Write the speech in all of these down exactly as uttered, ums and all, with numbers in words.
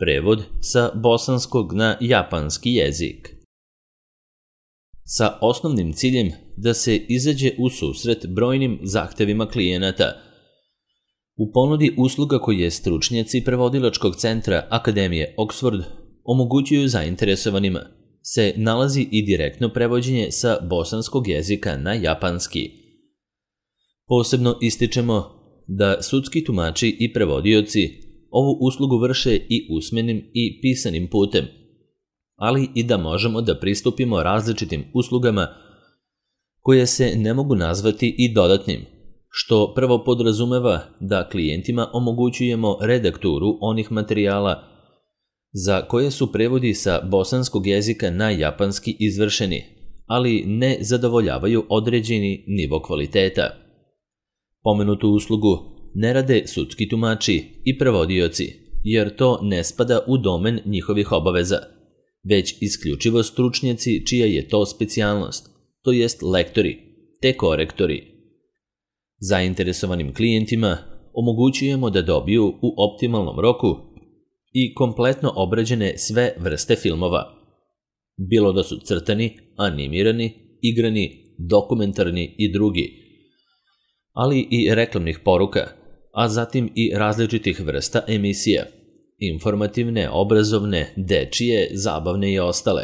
Prevod sa bosanskog na japanski jezik. Sa osnovnim ciljem da se izađe u susret brojnim zahtevima klijenata. U ponudi usluga koje stručnjaci prevodilačkog centra Akademije Oxford omogućuju zainteresovanima se nalazi i direktno prevođenje sa bosanskog jezika na japanski. Posebno ističemo da sudski tumači i prevodioci ovu uslugu vrše i usmenim i pisanim putem, ali i da možemo da pristupimo različitim uslugama koje se ne mogu nazvati i dodatnim, što prvo podrazumeva da klijentima omogućujemo redakturu onih materijala za koje su prevodi sa bosanskog jezika na japanski izvršeni, ali ne zadovoljavaju određeni nivo kvaliteta. Pomenutu uslugu ne rade sudski tumači i prevodioci, jer to ne spada u domen njihovih obaveza, već isključivo stručnjaci čija je to specijalnost, to jest lektori, te korektori. Zainteresovanim klijentima omogućujemo da dobiju u optimalnom roku i kompletno obrađene sve vrste filmova, bilo da su crtani, animirani, igrani, dokumentarni i drugi, ali i reklamnih poruka, a zatim i različitih vrsta emisija, informativne, obrazovne, dečije, zabavne i ostale,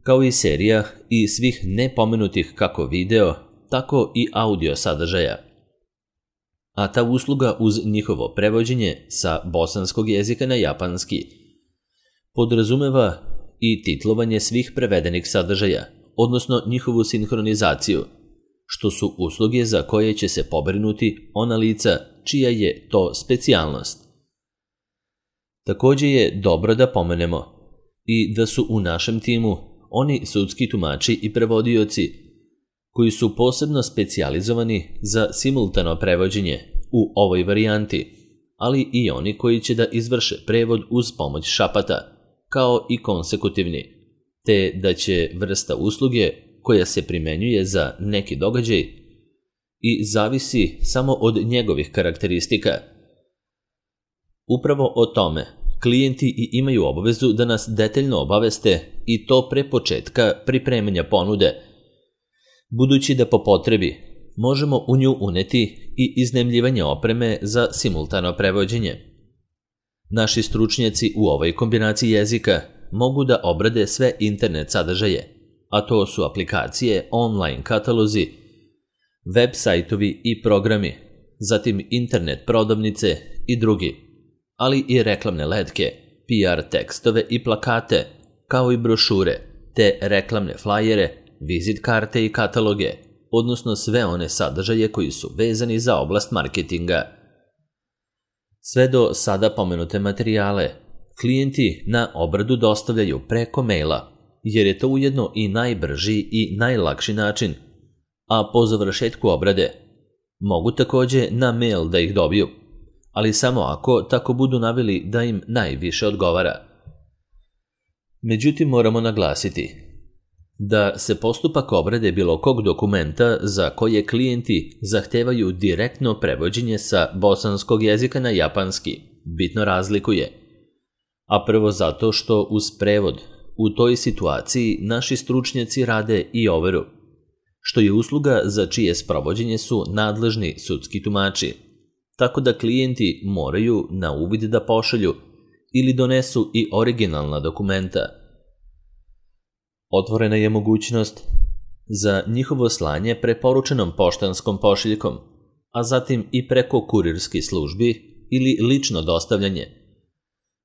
kao i serija i svih nepomenutih kako video, tako i audio sadržaja. A ta usluga uz njihovo prevođenje sa bosanskog jezika na japanski podrazumeva i titlovanje svih prevedenih sadržaja, odnosno njihovu sinhronizaciju, što su usluge za koje će se pobrinuti ona lica čija je to specijalnost. Takođe je dobro da pomenemo i da su u našem timu oni sudski tumači i prevodioci koji su posebno specijalizovani za simultano prevođenje u ovoj varijanti, ali i oni koji će da izvrše prevod uz pomoć šapata, kao i konsekutivni, te da će vrsta usluge koja se primenjuje za neki događaj i zavisi samo od njegovih karakteristika. Upravo o tome klijenti i imaju obavezu da nas detaljno obaveste i to pre početka pripremanja ponude, budući da po potrebi možemo u nju uneti i iznajmljivanje opreme za simultano prevođenje. Naši stručnjaci u ovoj kombinaciji jezika mogu da obrade sve internet sadržaje, a to su aplikacije, online katalozi, web sajtovi i programi, zatim internet prodavnice i drugi, ali i reklamne letke, P R tekstove i plakate, kao i brošure, te reklamne flajere, vizit karte i kataloge, odnosno sve one sadržaje koji su vezani za oblast marketinga. Sve do sada pomenute materijale klijenti na obradu dostavljaju preko maila, jer je to ujedno i najbrži i najlakši način, a po završetku obrade mogu takođe na mail da ih dobiju, ali samo ako tako budu naveli da im najviše odgovara. Međutim, moramo naglasiti da se postupak obrade bilo kog dokumenta za koje klijenti zahtevaju direktno prevođenje sa bosanskog jezika na japanski bitno razlikuje, a prvo zato što uz prevod u toj situaciji naši stručnjaci rade i overu, što je usluga za čije sprovođenje su nadležni sudski tumači, tako da klijenti moraju na uvid da pošalju ili donesu i originalna dokumenta. Otvorena je mogućnost za njihovo slanje preporučenom poštanskom pošiljkom, a zatim i preko kurirskih službi ili lično dostavljanje,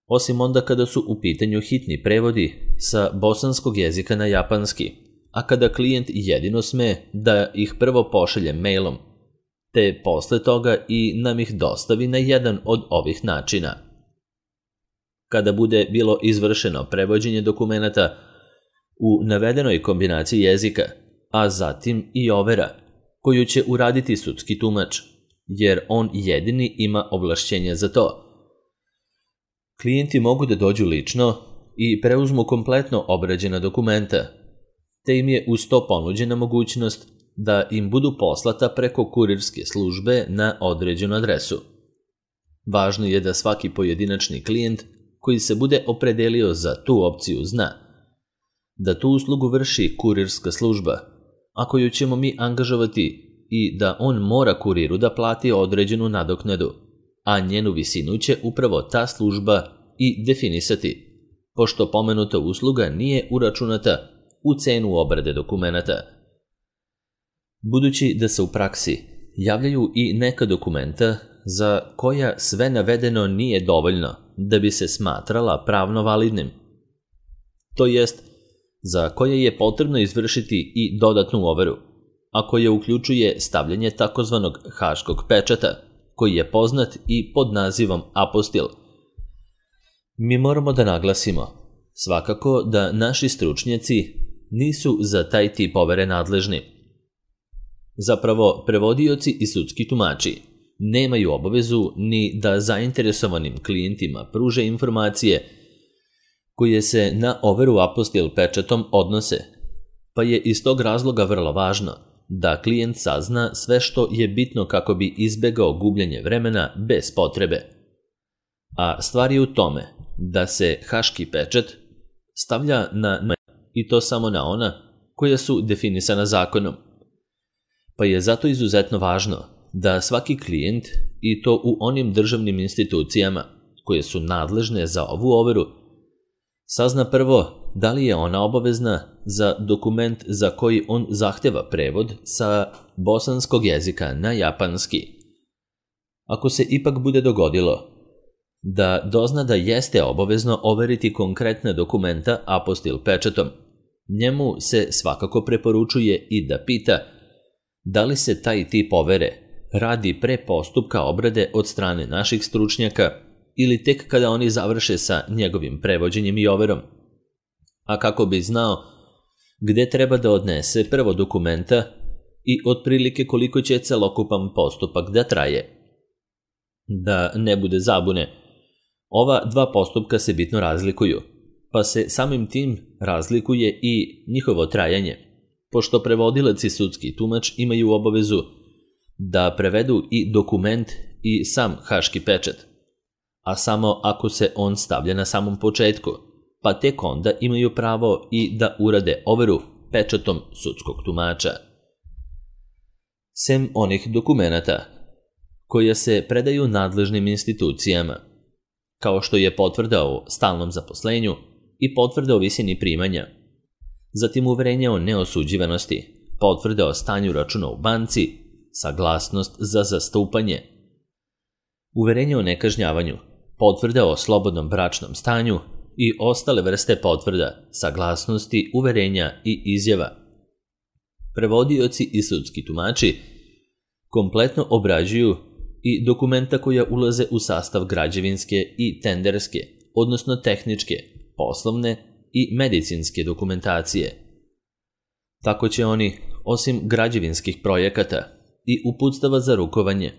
osim onda kada su u pitanju hitni prevodi sa bosanskog jezika na japanski, a kada klijent jedino sme da ih prvo pošalje mailom, te posle toga i nam ih dostavi na jedan od ovih načina. Kada bude bilo izvršeno prevođenje dokumenata u navedenoj kombinaciji jezika, a zatim i overa, koju će uraditi sudski tumač, jer on jedini ima ovlašćenje za to. Klijenti mogu da dođu lično i preuzmu kompletno obrađena dokumenta, te im je uz to ponuđena mogućnost da im budu poslata preko kurirske službe na određenu adresu. Važno je da svaki pojedinačni klijent koji se bude opredelio za tu opciju zna da tu uslugu vrši kurirska služba, a koju ćemo mi angažovati, i da on mora kuriru da plati određenu nadoknadu, a njenu visinu će upravo ta služba i definisati, pošto pomenuta usluga nije uračunata u cenu obrade dokumenata. Budući da se u praksi javljaju i neka dokumenta za koja sve navedeno nije dovoljno da bi se smatrala pravno validnim, to jest za koje je potrebno izvršiti i dodatnu overu, a koja uključuje stavljanje takozvanog haškog pečata, koji je poznat i pod nazivom apostil. Mi moramo da naglasimo svakako da naši stručnjaci nisu za taj tip overe nadležni. Zapravo, prevodioci i sudski tumači nemaju obavezu ni da zainteresovanim klijentima pruže informacije koje se na overu apostil pečatom odnose, pa je iz tog razloga vrlo važno da klijent sazna sve što je bitno kako bi izbegao gubljenje vremena bez potrebe. A stvar je u tome da se haški pečat stavlja na i to samo na ona koja su definisana zakonom. Pa je zato izuzetno važno da svaki klijent, i to u onim državnim institucijama koje su nadležne za ovu overu, sazna prvo da li je ona obavezna za dokument za koji on zahteva prevod sa bosanskog jezika na japanski. Ako se ipak bude dogodilo da dozna da jeste obavezno overiti konkretna dokumenta apostil pečatom, njemu se svakako preporučuje i da pita da li se taj tip overe radi pre postupka obrade od strane naših stručnjaka ili tek kada oni završe sa njegovim prevođenjem i overom, a kako bi znao gde treba da odnese prvo dokumenta i otprilike koliko će celokupan postupak da traje. Da ne bude zabune, ova dva postupka se bitno razlikuju, pa se samim tim razlikuje i njihovo trajanje, pošto prevodilac i sudski tumač imaju obavezu da prevedu i dokument i sam haški pečat, a samo ako se on stavlja na samom početku, pa tek onda imaju pravo i da urade overu pečatom sudskog tumača. Sem onih dokumenata koja se predaju nadležnim institucijama, kao što je potvrda o stalnom zaposlenju i potvrda o visini primanja, zatim uverenje o neosuđivanosti, potvrda o stanju računa u banci, saglasnost za zastupanje, uverenje o nekažnjavanju, potvrda o slobodnom bračnom stanju i ostale vrste potvrda, saglasnosti, uverenja i izjava. Prevodioci i sudski tumači kompletno obrađuju i dokumenta koja ulaze u sastav građevinske i tenderske, odnosno tehničke, poslovne i medicinske dokumentacije. Tako će oni, osim građevinskih projekata i uputstava za rukovanje,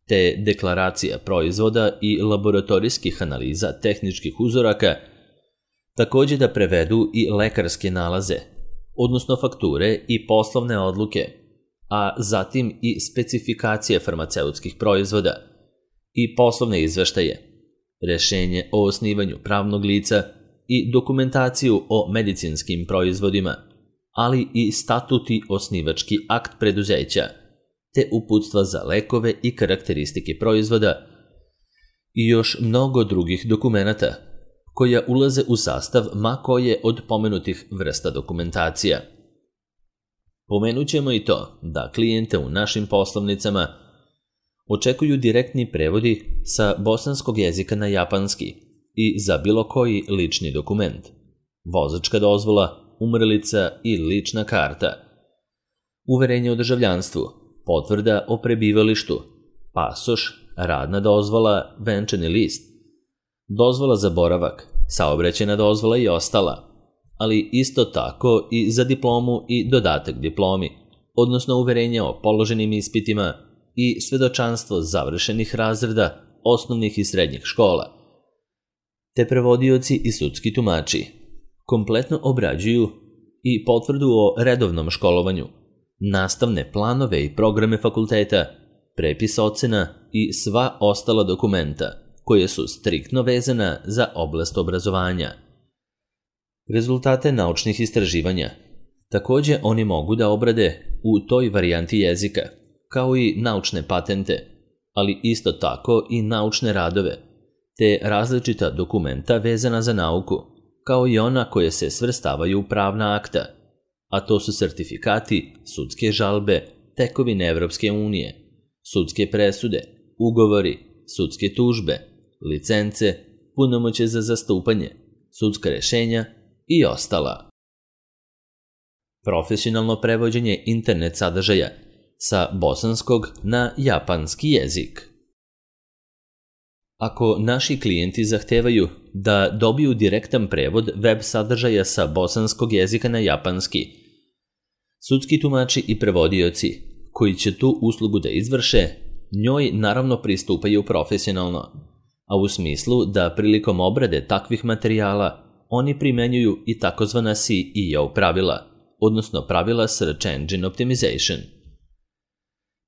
te deklaracija proizvoda i laboratorijskih analiza tehničkih uzoraka, također da prevedu i lekarske nalaze, odnosno fakture i poslovne odluke, a zatim i specifikacije farmaceutskih proizvoda i poslovne izveštaje, rešenje o osnivanju pravnog lica i dokumentaciju o medicinskim proizvodima, ali i statuti osnivački akt preduzeća, te uputstva za lekove i karakteristike proizvoda i još mnogo drugih dokumenata koja ulaze u sastav ma koje od pomenutih vrsta dokumentacija. Pomenut ćemo i to da klijente u našim poslovnicama očekuju direktni prevodi sa bosanskog jezika na japanski i za bilo koji lični dokument, vozačka dozvola, umrlica i lična karta, uverenje o državljanstvu, potvrda o prebivalištu, pasoš, radna dozvola, venčani list, dozvola za boravak, saobraćajna dozvola i ostala, ali isto tako i za diplomu i dodatak diplomi, odnosno uverenje o položenim ispitima i svedočanstvo završenih razreda osnovnih i srednjih škola. Te prevodioci i sudski tumači kompletno obrađuju i potvrdu o redovnom školovanju, nastavne planove i programe fakulteta, prepis ocena i sva ostala dokumenta koje su striktno vezana za oblast obrazovanja. Rezultate naučnih istraživanja također oni mogu da obrade u toj varijanti jezika, kao i naučne patente, ali isto tako i naučne radove, te različita dokumenta vezana za nauku, kao i ona koje se svrstavaju u pravna akta, a to su sertifikati, sudske žalbe, tekovine Evropske unije, sudske presude, ugovori, sudske tužbe, licence, punomoćje za zastupanje, sudska rješenja i ostala. Profesionalno prevođenje internet sadržaja sa bosanskog na japanski jezik. Ako naši klijenti zahtevaju da dobiju direktan prevod web sadržaja sa bosanskog jezika na japanski, sudski tumači i prevodioci koji će tu uslugu da izvrše, njoj naravno pristupaju profesionalno, a u smislu da prilikom obrade takvih materijala oni primenjuju i takozvana S E O pravila, odnosno pravila Search Engine Optimization.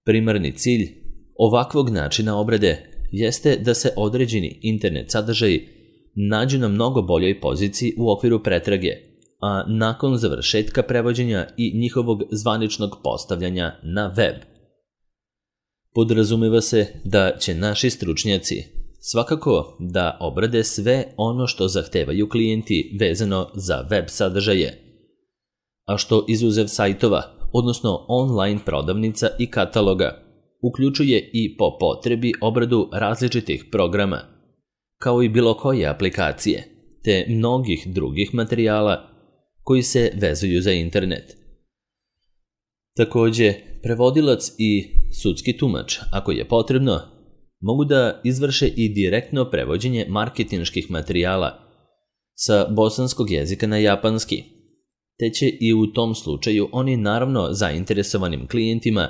Primarni cilj ovakvog načina obrade jeste da se određeni internet sadržaji nađu na mnogo boljoj poziciji u okviru pretrage, a nakon završetka prevođenja i njihovog zvaničnog postavljanja na web. Podrazumeva se da će naši stručnjaci svakako da obrade sve ono što zahtevaju klijenti vezano za web sadržaje, a što izuzev sajtova, odnosno online prodavnica i kataloga, uključuje i po potrebi obradu različitih programa, kao i bilo koje aplikacije, te mnogih drugih materijala koji se vezuju za internet. Također, prevodilac i sudski tumač, ako je potrebno, mogu da izvrše i direktno prevođenje marketinških materijala sa bosanskog jezika na japanski, te će i u tom slučaju oni naravno zainteresovanim klijentima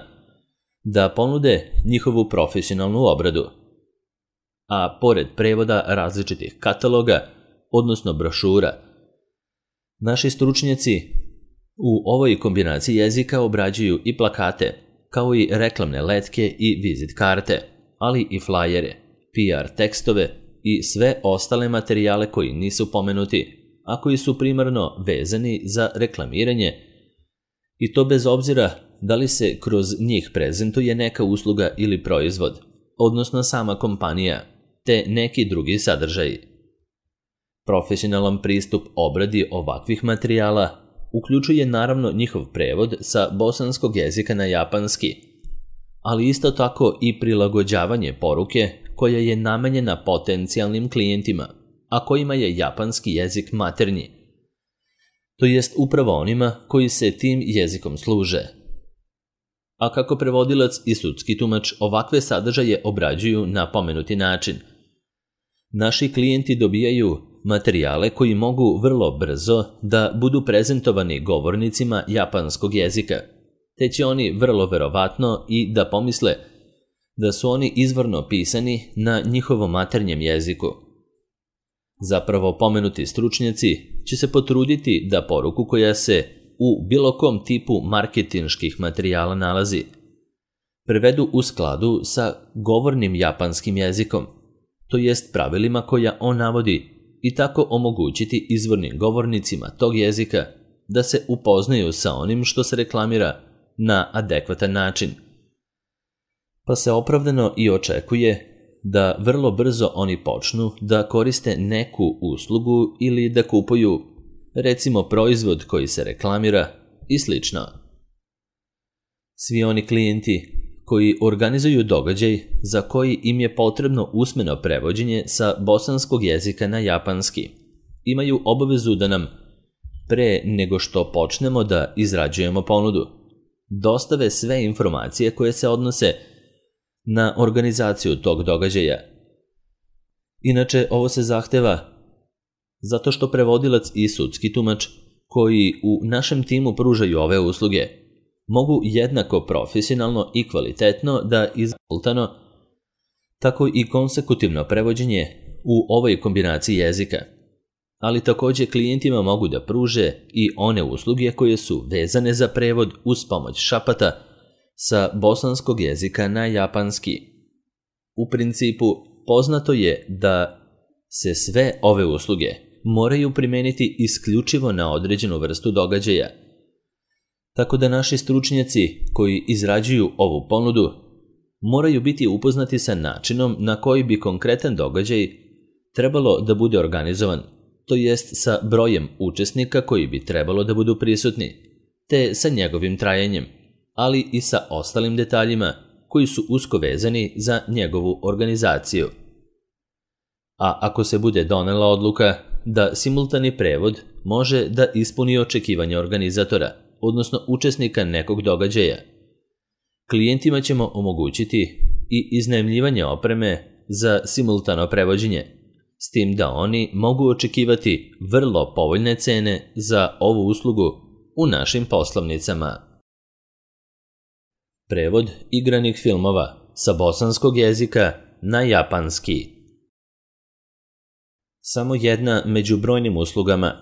da ponude njihovu profesionalnu obradu. A pored prevoda različitih kataloga, odnosno brošura, naši stručnjaci u ovoj kombinaciji jezika obrađuju i plakate, kao i reklamne letke i vizit karte, ali i flajere, P R tekstove i sve ostale materijale koji nisu pomenuti, a koji su primarno vezani za reklamiranje, i to bez obzira da li se kroz njih prezentuje neka usluga ili proizvod, odnosno sama kompanija, te neki drugi sadržaji. Profesionalan pristup obradi ovakvih materijala uključuje naravno njihov prevod sa bosanskog jezika na japanski, ali isto tako i prilagođavanje poruke koja je namenjena potencijalnim klijentima, a kojima je japanski jezik maternji, to jest upravo onima koji se tim jezikom služe. A kako prevodilac i sudski tumač ovakve sadržaje obrađuju na pomenuti način? Naši klijenti dobijaju materijale koji mogu vrlo brzo da budu prezentovani govornicima japanskog jezika, te će oni vrlo verovatno i da pomisle da su oni izvorno pisani na njihovom maternjem jeziku. Zapravo pomenuti stručnjaci će se potruditi da poruku koja se u bilo kom tipu marketinških materijala nalazi prevedu u skladu sa govornim japanskim jezikom, to jest pravilima koja on navodi, i tako omogućiti izvornim govornicima tog jezika da se upoznaju sa onim što se reklamira na adekvatan način. Pa se opravdano i očekuje da vrlo brzo oni počnu da koriste neku uslugu ili da kupuju, recimo, proizvod koji se reklamira i slično. Svi oni klijenti koji organizuju događaj za koji im je potrebno usmeno prevođenje sa bosanskog jezika na japanski imaju obavezu da nam, pre nego što počnemo da izrađujemo ponudu, dostave sve informacije koje se odnose na organizaciju tog događaja. Inače, ovo se zahteva zato što prevodilac i sudski tumač koji u našem timu pružaju ove usluge mogu jednako profesionalno i kvalitetno da izvoltano, tako i konsekutivno prevođenje u ovoj kombinaciji jezika, ali također klijentima mogu da pruže i one usluge koje su vezane za prevod uz pomoć šapata sa bosanskog jezika na japanski. U principu, poznato je da se sve ove usluge moraju primeniti isključivo na određenu vrstu događaja. Tako da naši stručnjaci koji izrađuju ovu ponudu moraju biti upoznati sa načinom na koji bi konkretan događaj trebalo da bude organizovan, to jest sa brojem učesnika koji bi trebalo da budu prisutni, te sa njegovim trajanjem, ali i sa ostalim detaljima koji su usko vezani za njegovu organizaciju. A ako se bude donela odluka da simultani prevod može da ispuni očekivanja organizatora, odnosno učesnika nekog događaja, klijentima ćemo omogućiti i iznajmljivanje opreme za simultano prevođenje, s tim da oni mogu očekivati vrlo povoljne cene za ovu uslugu u našim poslovnicama. Prevod igranih filmova sa bosanskog jezika na japanski. Samo jedna među brojnim uslugama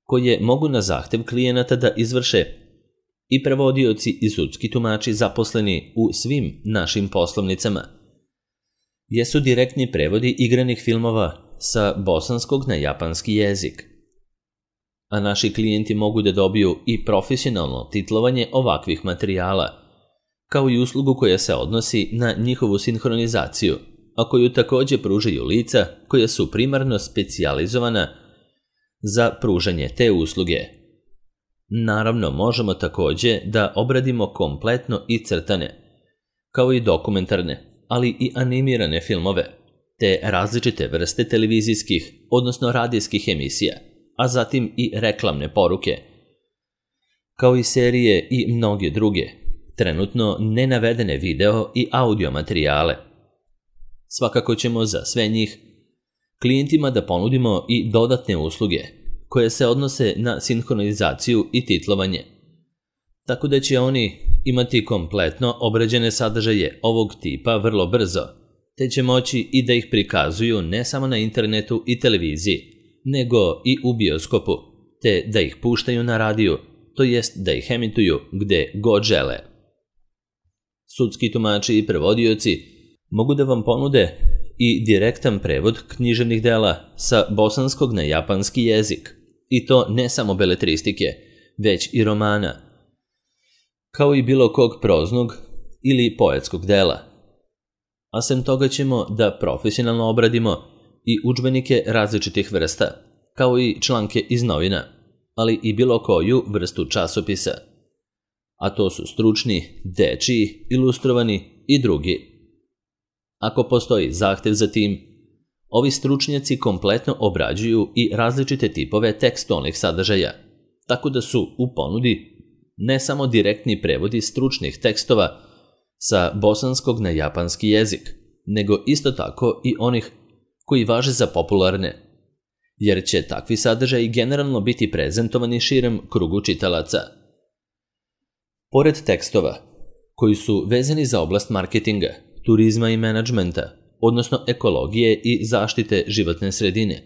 koje mogu na zahtev klijenata da izvrše i prevodioci i sudski tumači zaposleni u svim našim poslovnicama jesu direktni prevodi igranih filmova sa bosanskog na japanski jezik. A naši klijenti mogu da dobiju i profesionalno titlovanje ovakvih materijala, kao i uslugu koja se odnosi na njihovu sinhronizaciju, a koju također pružaju lica koja su primarno specijalizovana za pružanje te usluge. Naravno, možemo također da obradimo kompletno i crtane, kao i dokumentarne, ali i animirane filmove, te različite vrste televizijskih, odnosno radijskih emisija, a zatim i reklamne poruke, kao i serije i mnoge druge, trenutno nenavedene video i audio materijale. Svakako ćemo za sve njih klijentima da ponudimo i dodatne usluge koje se odnose na sinhronizaciju i titlovanje, tako da će oni imati kompletno obrađene sadržaje ovog tipa vrlo brzo, te će moći i da ih prikazuju ne samo na internetu i televiziji, nego i u bioskopu, te da ih puštaju na radiju, to jest da ih emituju gde god žele. Sudski tumači i prevodioci mogu da vam ponude i direktan prevod književnih dela sa bosanskog na japanski jezik, i to ne samo beletristike, već i romana, kao i bilo kog proznog ili poetskog dela. A sem toga ćemo da profesionalno obradimo i udžbenike različitih vrsta, kao i članke iz novina, ali i bilo koju vrstu časopisa. A to su stručni, dečiji, ilustrovani i drugi. Ako postoji zahtev za tim, ovi stručnjaci kompletno obrađuju i različite tipove tekstualnih sadržaja, tako da su u ponudi ne samo direktni prevodi stručnih tekstova sa bosanskog na japanski jezik, nego isto tako i onih koji važe za popularne, jer će takvi sadržaji generalno biti prezentovani širem krugu čitalaca. Pored tekstova, koji su vezani za oblast marketinga, turizma i menadžmenta, odnosno ekologije i zaštite životne sredine,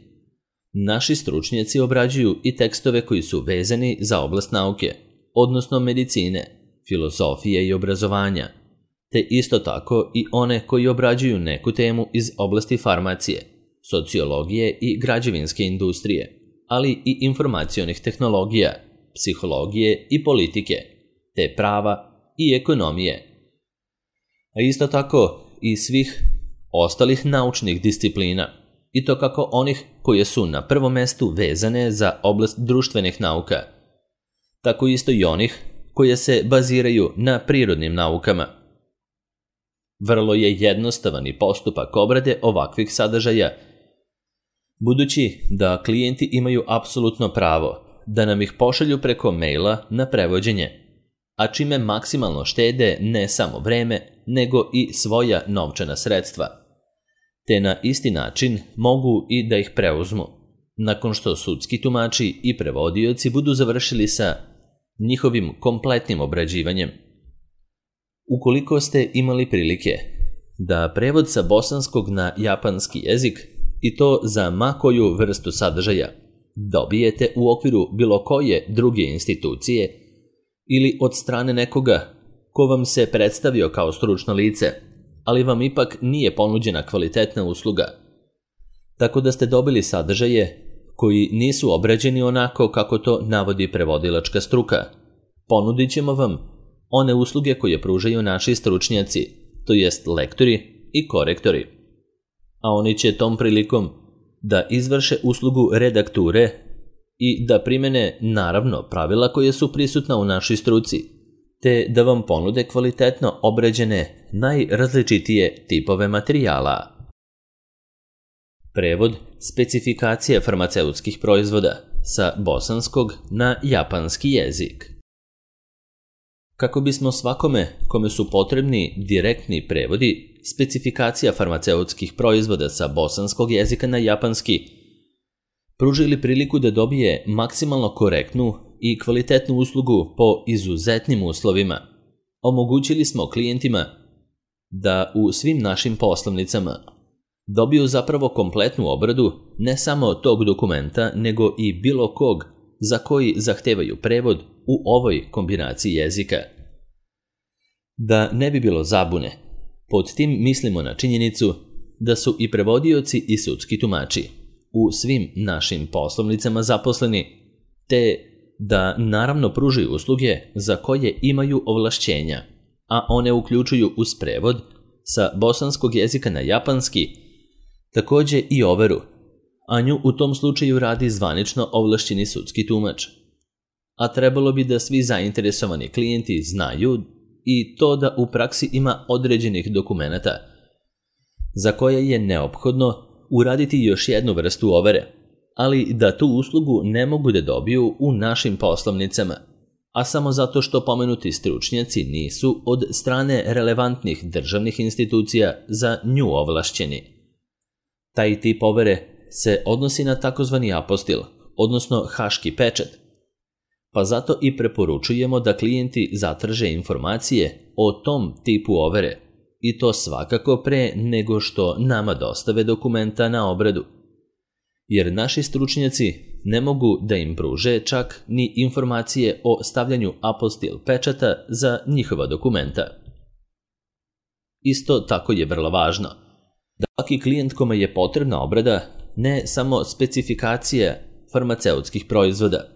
naši stručnjaci obrađuju i tekstove koji su vezani za oblast nauke, odnosno medicine, filozofije i obrazovanja, te isto tako i one koji obrađuju neku temu iz oblasti farmacije, sociologije i građevinske industrije, ali i informacionih tehnologija, psihologije i politike, te prava i ekonomije. A isto tako i svih ostalih naučnih disciplina, i to kako onih koje su na prvom mestu vezane za oblast društvenih nauka, tako isto i onih koje se baziraju na prirodnim naukama. Vrlo je jednostavan i postupak obrade ovakvih sadržaja, budući da klijenti imaju apsolutno pravo da nam ih pošalju preko maila na prevođenje, a čime maksimalno štede ne samo vreme, nego i svoja novčana sredstva, te na isti način mogu i da ih preuzmu, nakon što sudski tumači i prevodioci budu završili sa njihovim kompletnim obrađivanjem. Ukoliko ste imali prilike da prevod sa bosanskog na japanski jezik, i to za ma koju vrstu sadržaja, dobijete u okviru bilo koje druge institucije ili od strane nekoga ko vam se predstavio kao stručno lice, ali vam ipak nije ponuđena kvalitetna usluga. Tako da ste dobili sadržaje koji nisu obrađeni onako kako to navodi prevodilačka struka. Ponudit ćemo vam one usluge koje pružaju naši stručnjaci, to jest lektori i korektori. A oni će tom prilikom da izvrše uslugu redakture i da primene naravno pravila koje su prisutna u našoj struci, te da vam ponude kvalitetno obrađene najrazličitije tipove materijala. Prevod specifikacije farmaceutskih proizvoda sa bosanskog na japanski jezik. Kako bismo svakome kome su potrebni direktni prevodi specifikacija farmaceutskih proizvoda sa bosanskog jezika na japanski pružili priliku da dobije maksimalno korektnu i kvalitetnu uslugu po izuzetnim uslovima, omogućili smo klijentima da u svim našim poslovnicama dobiju zapravo kompletnu obradu ne samo tog dokumenta, nego i bilo kog za koji zahtevaju prevod u ovoj kombinaciji jezika. Da ne bi bilo zabune, pod tim mislimo na činjenicu da su i prevodioci i sudski tumači u svim našim poslovnicama zaposleni, te da naravno pružaju usluge za koje imaju ovlašćenja, a one uključuju uz prevod sa bosanskog jezika na japanski, takođe i overu, a nju u tom slučaju radi zvanično ovlašćeni sudski tumač. A trebalo bi da svi zainteresovani klijenti znaju i to da u praksi ima određenih dokumenata za koje je neophodno uraditi još jednu vrstu overe, ali da tu uslugu ne mogu da dobiju u našim poslovnicama, a samo zato što pomenuti stručnjaci nisu od strane relevantnih državnih institucija za nju ovlašćeni. Taj tip overe se odnosi na takozvani apostil, odnosno haški pečat, pa zato i preporučujemo da klijenti zatraže informacije o tom tipu overe, i to svakako pre nego što nama dostave dokumenta na obradu, jer naši stručnjaci ne mogu da im pruže čak ni informacije o stavljanju apostil pečata za njihova dokumenta. Isto tako je vrlo važno da svaki klijent kome je potrebna obrada ne samo specifikacije farmaceutskih proizvoda,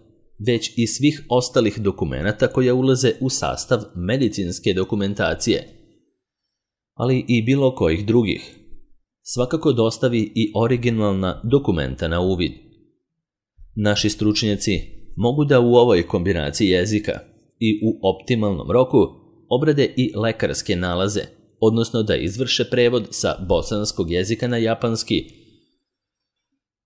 već i svih ostalih dokumenata koja ulaze u sastav medicinske dokumentacije, ali i bilo kojih drugih. Svakako dostavi i originalna dokumenta na uvid. Naši stručnjaci mogu da u ovoj kombinaciji jezika i u optimalnom roku obrade i lekarske nalaze, odnosno da izvrše prevod sa bosanskog jezika na japanski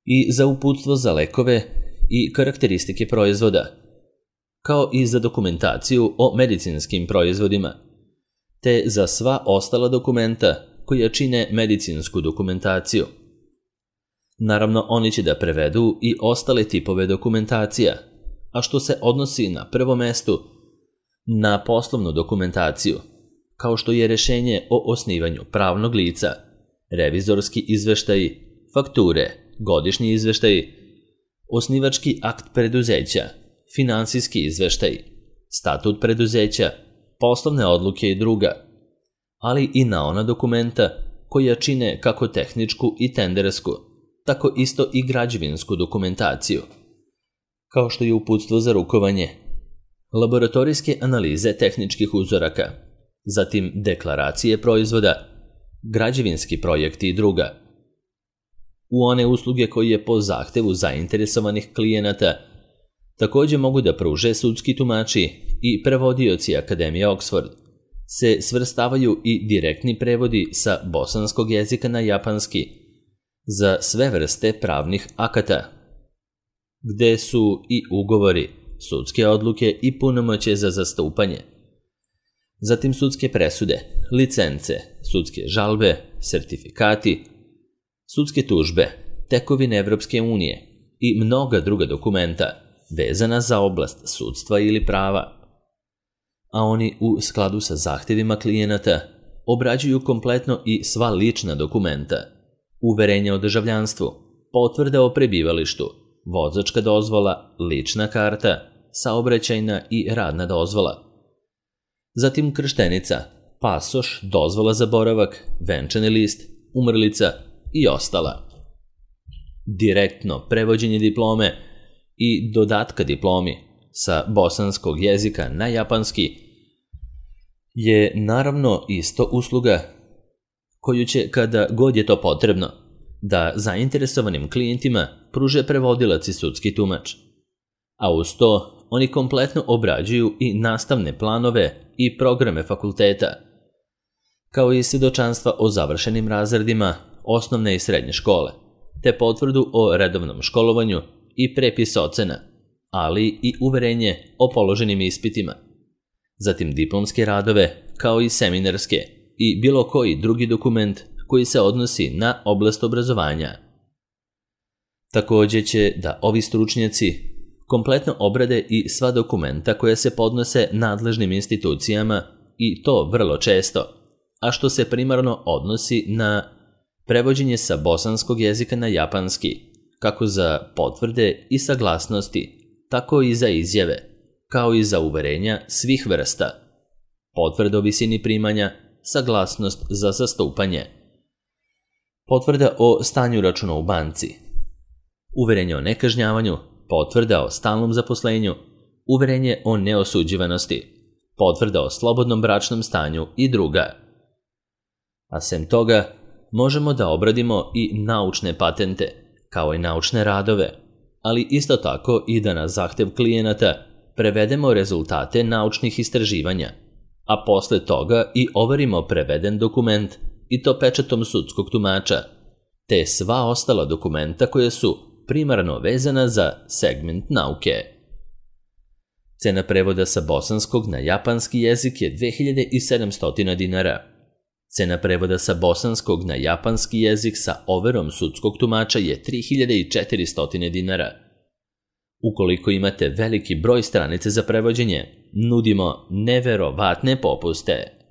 i za uputstvo za lekove i karakteristike proizvoda, kao i za dokumentaciju o medicinskim proizvodima, te za sva ostala dokumenta koja čine medicinsku dokumentaciju. Naravno, oni će da prevedu i ostale tipove dokumentacija, a što se odnosi na prvo mestu na poslovnu dokumentaciju, kao što je rešenje o osnivanju pravnog lica, revizorski izveštaji, fakture, godišnji izveštaji, osnivački akt preduzeća, finansijski izveštaj, statut preduzeća, poslovne odluke i druga, ali i na ona dokumenta koja čine kako tehničku i tendersku, tako isto i građevinsku dokumentaciju, kao što je uputstvo za rukovanje, laboratorijske analize tehničkih uzoraka, zatim deklaracije proizvoda, građevinski projekti i druga. U one usluge koje po zahtevu zainteresovanih klijenata takođe mogu da pruže sudski tumači i prevodioci Akademije Oxford, se svrstavaju i direktni prevodi sa bosanskog jezika na japanski za sve vrste pravnih akata, gde su i ugovori, sudske odluke i punomoćje za zastupanje. Zatim sudske presude, licence, sudske žalbe, sertifikati, sudske tužbe, tekovine Evropske unije i mnoga druga dokumenta vezana za oblast sudstva ili prava. A oni u skladu sa zahtevima klijenata obrađuju kompletno i sva lična dokumenta, uverenja o državljanstvu, potvrde o prebivalištu, vozačka dozvola, lična karta, saobraćajna i radna dozvola. Zatim krštenica, pasoš, dozvola za boravak, venčani list, umrlica i ostala. Direktno prevođenje diplome i dodatka diplomi sa bosanskog jezika na japanski je naravno isto usluga koju će, kada god je to potrebno, da zainteresovanim klijentima pruže prevodilac i sudski tumač. A uz to oni kompletno obrađuju i nastavne planove i programe fakulteta, kao i svjedočanstva o završenim razredima osnovne i srednje škole, te potvrdu o redovnom školovanju i prepis ocena, ali i uverenje o položenim ispitima. Zatim diplomske radove, kao i seminarske i bilo koji drugi dokument koji se odnosi na oblast obrazovanja. Također će da ovi stručnjaci kompletno obrade i sva dokumenta koja se podnose nadležnim institucijama i to vrlo često, a što se primarno odnosi na prevođenje sa bosanskog jezika na japanski, kako za potvrde i saglasnosti, tako i za izjave, kao i za uverenja svih vrsta, potvrda o visini primanja, saglasnost za zastupanje, potvrda o stanju računa u banci, uverenje o nekažnjavanju, potvrda o stalnom zaposlenju, uverenje o neosuđivanosti, potvrda o slobodnom bračnom stanju i druga. A sem toga, možemo da obradimo i naučne patente, kao i naučne radove, ali isto tako i da na zahtev klijenata prevedemo rezultate naučnih istraživanja, a posle toga i overimo preveden dokument i to pečatom sudskog tumača, te sva ostala dokumenta koje su primarno vezana za segment nauke. Cena prevoda sa bosanskog na japanski jezik je dve hiljade sedamsto dinara. Cena prevoda sa bosanskog na japanski jezik sa overom sudskog tumača je tri hiljade četiristo dinara. Ukoliko imate veliki broj stranice za prevođenje, nudimo neverovatne popuste.